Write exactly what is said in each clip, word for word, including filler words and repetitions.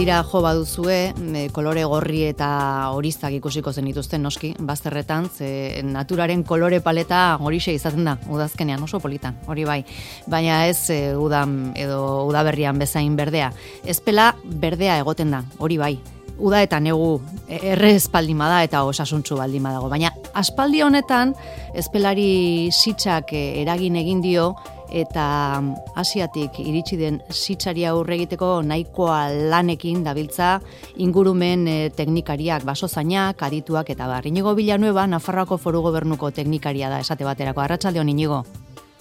begira jo baduzue, e, kolore gorri eta horiztak ikusiko zenituzten noski, bazterretan, ze naturaren kolore paleta horixe izaten da, udazkenean oso politan, hori bai. Baina ez e, udan edo udaberrian bezain berdea. Ezpela berdea egoten da, hori bai. Uda eta negu erre espaldima da eta osasuntsu baldima dago. Baina aspaldi honetan ezpelari sitsak eragin egin dio eta Asiatik iritsi den sitsari aurre egiteko nahikoa lanekin dabiltza ingurumen e, teknikariak, basozainak, adituak eta bar. Inigo Villanueva, Nafarroako Foru Gobernuko teknikaria da esate baterako. Arratsalde on, Inigo.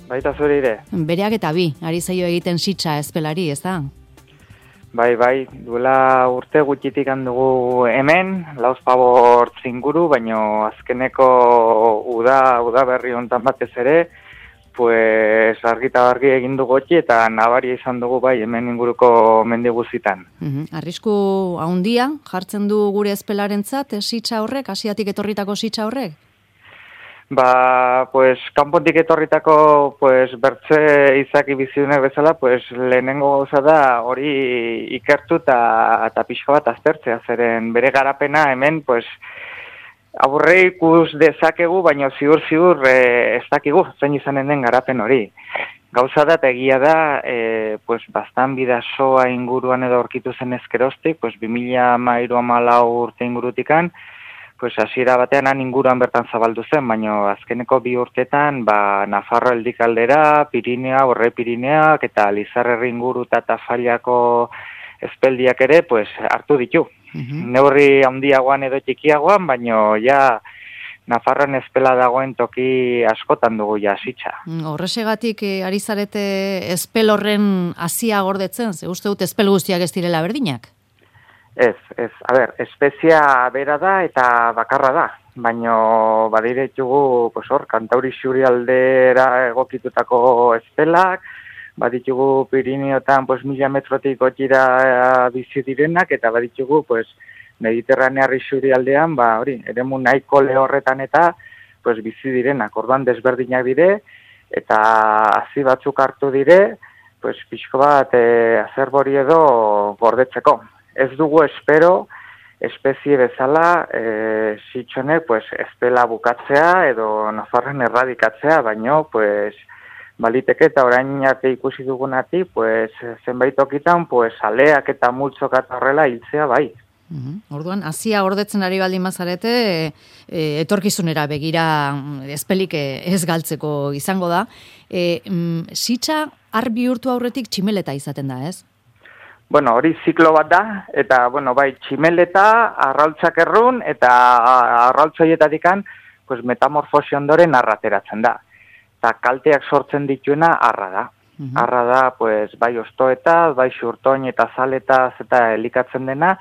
Baita zure ere. Bereak eta bi, ari zaio egiten sitsa ezpelari, ez da? Bai, bai, duela urte gutxitik handugu hemen, lauzpabor inguru, baino azkeneko uda, uda berri hontan batez ere, pues argita argi egin du gotxi eta nabaria izan dugu bai hemen inguruko mendi guztitan. Uh-huh. Arrisku handia jartzen du gure ezpelarentzat sitsa horrek, Asiatik etorritako sitsa horrek? Ba, pues, kanpotik etorritako, pues, bertze izaki bizidunek bezala, pues, lehenengo gauza da hori ikertu eta pixka bat aztertzea, zeren bere garapena hemen, pues, aburre ikus dezakegu, baina ziur-ziur eh, ez dakigu zein izanen den garapen hori. Gauza da eta egia da, eh, pues, bastan bidasoa inguruan edo aurkitu zen ezkerostik, pues, bi mila hamairu hamalau urte ingurutikan, pues hasiera batean han inguruan bertan zabaldu zen, baina azkeneko bi urtetan, ba, Nafarro Eldikaldera, Pirinea, Horre Pirineak eta Lizarrerri inguru eta Tafallako ezpeldiak ere, pues, hartu ditu. Uh-huh. Neurri handiagoan edo txikiagoan, baina ja Nafarroan ezpela dagoen toki askotan dugu ja sitsa. Horresegatik eh, ari zarete ezpel horren hasia gordetzen, ze uste dut ezpel guztiak ez direla berdinak? Ez, ez, a ber, espezia bera da eta bakarra da, baino badire ditugu, pues hor, Kantauri Xurialdera egokitutako ezpelak, baditugu Pirineotan, pues, mila metrotik gotxira bizi direnak, eta baditugu, pues, Mediterranearri Xurialdean, ba, hori, eremu nahiko lehorretan eta, pues, bizi direnak, orduan desberdinak dire, eta hazi batzuk hartu dire, pues, pixko bat, e, azerbori edo gordetzeko. Ez dugu espero, espezie bezala, e, sitxonek, pues, ezpela bukatzea edo Nafarren erradikatzea, baino, pues, baliteke eta orain arte ikusi dugunati, pues, zenbait tokitan, pues, aleak eta multzok eta horrela hiltzea bai. Uhum. Orduan, hasia gordetzen ari baldin bazarete, e, e, etorkizunera begira ezpelik ez galtzeko izango da. E, mm, sitsa har bihurtu aurretik tximeleta izaten da, ez? Bueno, hori ziklo bat da, eta, bueno, bai, tximeleta, arrautzak errun, eta arrautzoietatikan, pues, metamorfosi ondoren arrateratzen da. Eta kalteak sortzen dituena arra da. Uh-huh. Arra da, pues, bai ostoetaz, bai xurtoin eta zaletaz eta elikatzen dena,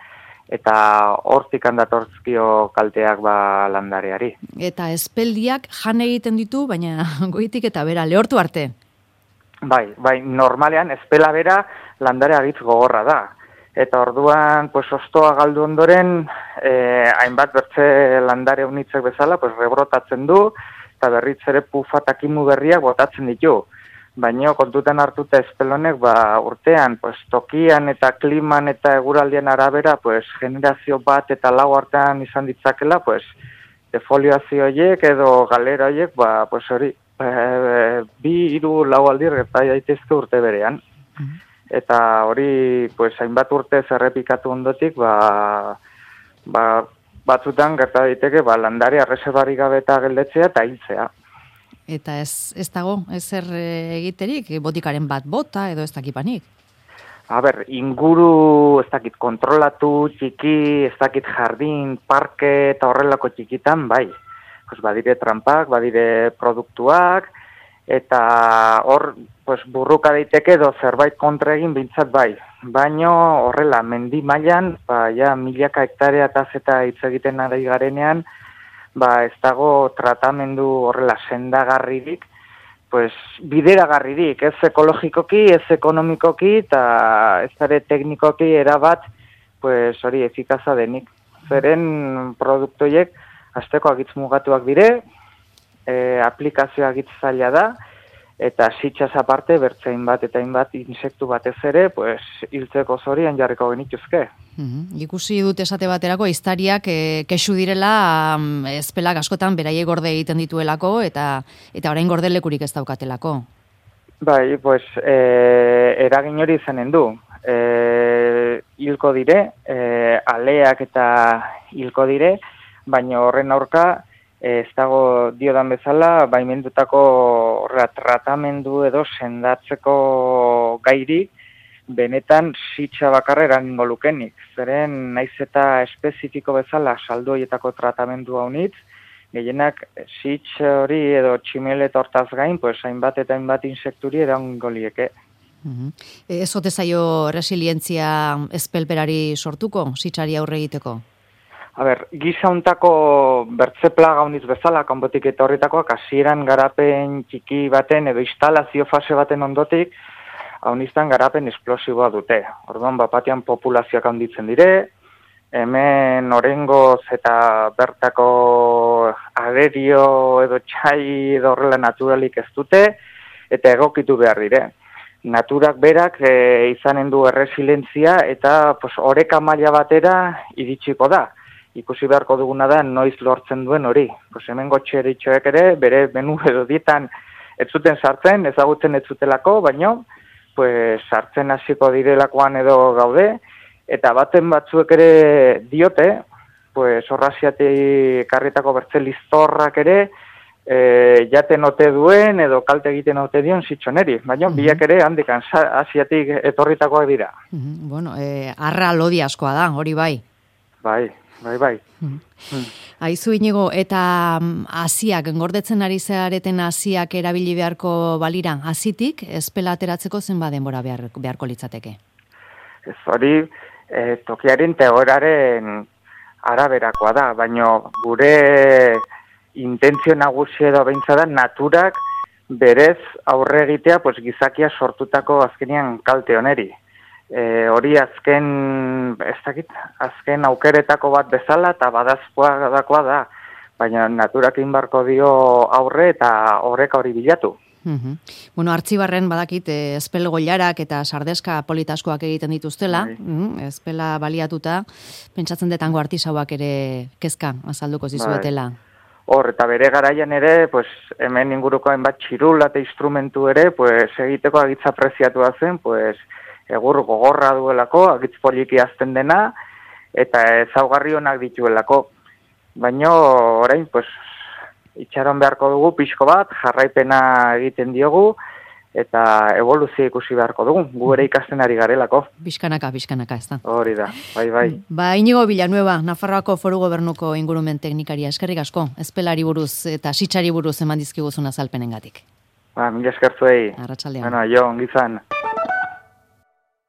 eta hortik handatortzkio kalteak ba landareari. Eta ezpeldiak jan egiten ditu, baina goitik eta bera, lehortu arte? Bai, bai, normalean ezpela bera landare agitz gogorra da. Eta orduan, pues, ostoa galdu ondoren, eh, hainbat bertze landare unitzek bezala, pues, rebrotatzen du, eta berriz ere pufa eta kimu berriak botatzen ditu. Baina kontutan hartuta ezpelonek, ba, urtean, pues, tokian eta kliman eta eguraldian arabera, pues, generazio bat eta lau artean izan ditzakela, pues, defoliazio horiek edo galera horiek, ba, pues, hori, e, bi, hiru, lau aldir gerta daitezke urte berean. Mm-hmm. Eta hori, pues, hainbat urte zerrepikatu ondotik, ba, ba, batzutan gerta daiteke, ba, landare arreserbarik gabe eta geldetzea eta hiltzea. Eta ez, ez dago, ez zer egiterik, botikaren bat bota edo ez dakipanik? A ber, inguru ez dakit kontrolatu, txiki, ez dakit jardin, parke eta horrelako txikitan, bai. Pues badire trampak, badire produktuak, eta hor pues, burruka daiteke edo zerbait kontra egin bintzat bai. Baino horrela, mendi mailan, ba, ja, milaka hektareataz eta hitz egiten ari garenean, ba, ez dago tratamendu horrela sendagarririk, pues, bideragarririk, ez ekologikoki, ez ekonomikoki, eta ez ere teknikoki erabat, pues, hori efikaza denik. Zeren produktoiek, azteko agitz mugatuak dire, e, aplikazioa agitz zaila da, eta sitxaz aparte, bertzein bat eta hainbat insektu batez ere, pues, hiltzeko zorian jarriko genituzke. Mm-hmm. Ikusi dut esate baterako iztariak e, kexu direla um, ezpelak askotan beraiei gorde egiten dituelako eta eta orain gordelekurik ez daukatelako. Bai, pues, e, eragin hori izanen du. E, hilko dire, e, aleak eta hilko dire, baina horren aurka, e, ez dago diodan bezala, baimendutako horra tratamendu edo sendatzeko gairik, benetan sitxa bakarra eragingo lukenik. Zeren naiz eta espezifiko bezala saldoietako tratamendu haunitz, gehienak sitx hori edo tximelet hortaz gain, pues hainbat eta hainbat insekturi eragingo lieke. Uh-huh. Ez ote zaio resilientzia ezpelberari sortuko, sitxari aurre egiteko? A ber, gisa untako bertze plaga haunitz bezala, kanpotik etorritakoak, hasieran garapen txiki baten edo instalazio fase baten ondotik, hauniztan garapen esplosiboa dute. Orduan, bapatian populazioak handitzen dire, hemen orengoz eta bertako agerio edo txai edo horrela naturalik ez dute, eta egokitu behar dire. Naturak berak e, izanen du erresilentzia eta pues, oreka maila batera iritsiko da. Ikusi beharko duguna da noiz lortzen duen hori. Pues, hemen gotxeritxoek ere, bere menu edo dietan ez zuten sartzen, ezagutzen ez zutelako, baino, pues, sartzen hasiko direlakoan edo gaude, eta baten batzuek ere diote, pues, horraziatik karritako bertze liztorrak ere, e, jaten ote duen edo kalte egiten ote dion zitxoneri. Baina uh-huh. biak ere handikan asiatik etorritakoak dira. Uh-huh. Bueno, e, arra lodi askoa da, hori bai. Bai, bai, bai. Uh-huh. Hmm. Aizu Inigo, eta hasiak, engordetzen ari zareten hasiak erabili beharko balira, hasitik ezpela ateratzeko zenba denbora behar, beharko litzateke? Ez hori, e, tokiaren teoraren araberakoa da, baina gure intentzio nagusi edo beintza da naturak berez aurre egitea pues, gizakia sortutako azkenean kalte oneri. E, hori azken, ez dakit, azken aukeretako bat bezala eta badazkoa dakoa da, baina naturak inbarko dio aurre eta horreka hori bilatu. Uh-huh. Bueno, Artzibarren badakit ezpel goilarak eta sardeska politaskoak egiten dituztela, uh, ezpela baliatuta, pentsatzen detango artisauak ere kezka azalduko zizuetela. Hor, eta bere garaian ere, pues, hemen inguruko hainbat txirula eta instrumentu ere, pues, egiteko agitza preziatua zen, pues, egur gogorra duelako, agitz poliki azten dena, eta ezaugarri onak dituelako. Baina, orain, pues, itxaron beharko dugu pixko bat, jarraipena egiten diogu, eta evoluzio ikusi beharko dugu, gu ere ikasten ari garelako. Bizkanaka, bizkanaka, ez da. Hori da, bai, bai. Ba, Inigo Villanueva, Nafarroako Foru Gobernuko ingurumen teknikaria, eskerrik asko, ezpelari buruz eta sitxari buruz eman dizkiguzun azalpenengatik. Ba, mila eskertzuei. Arratsaldean. Bueno, jo, ongizan.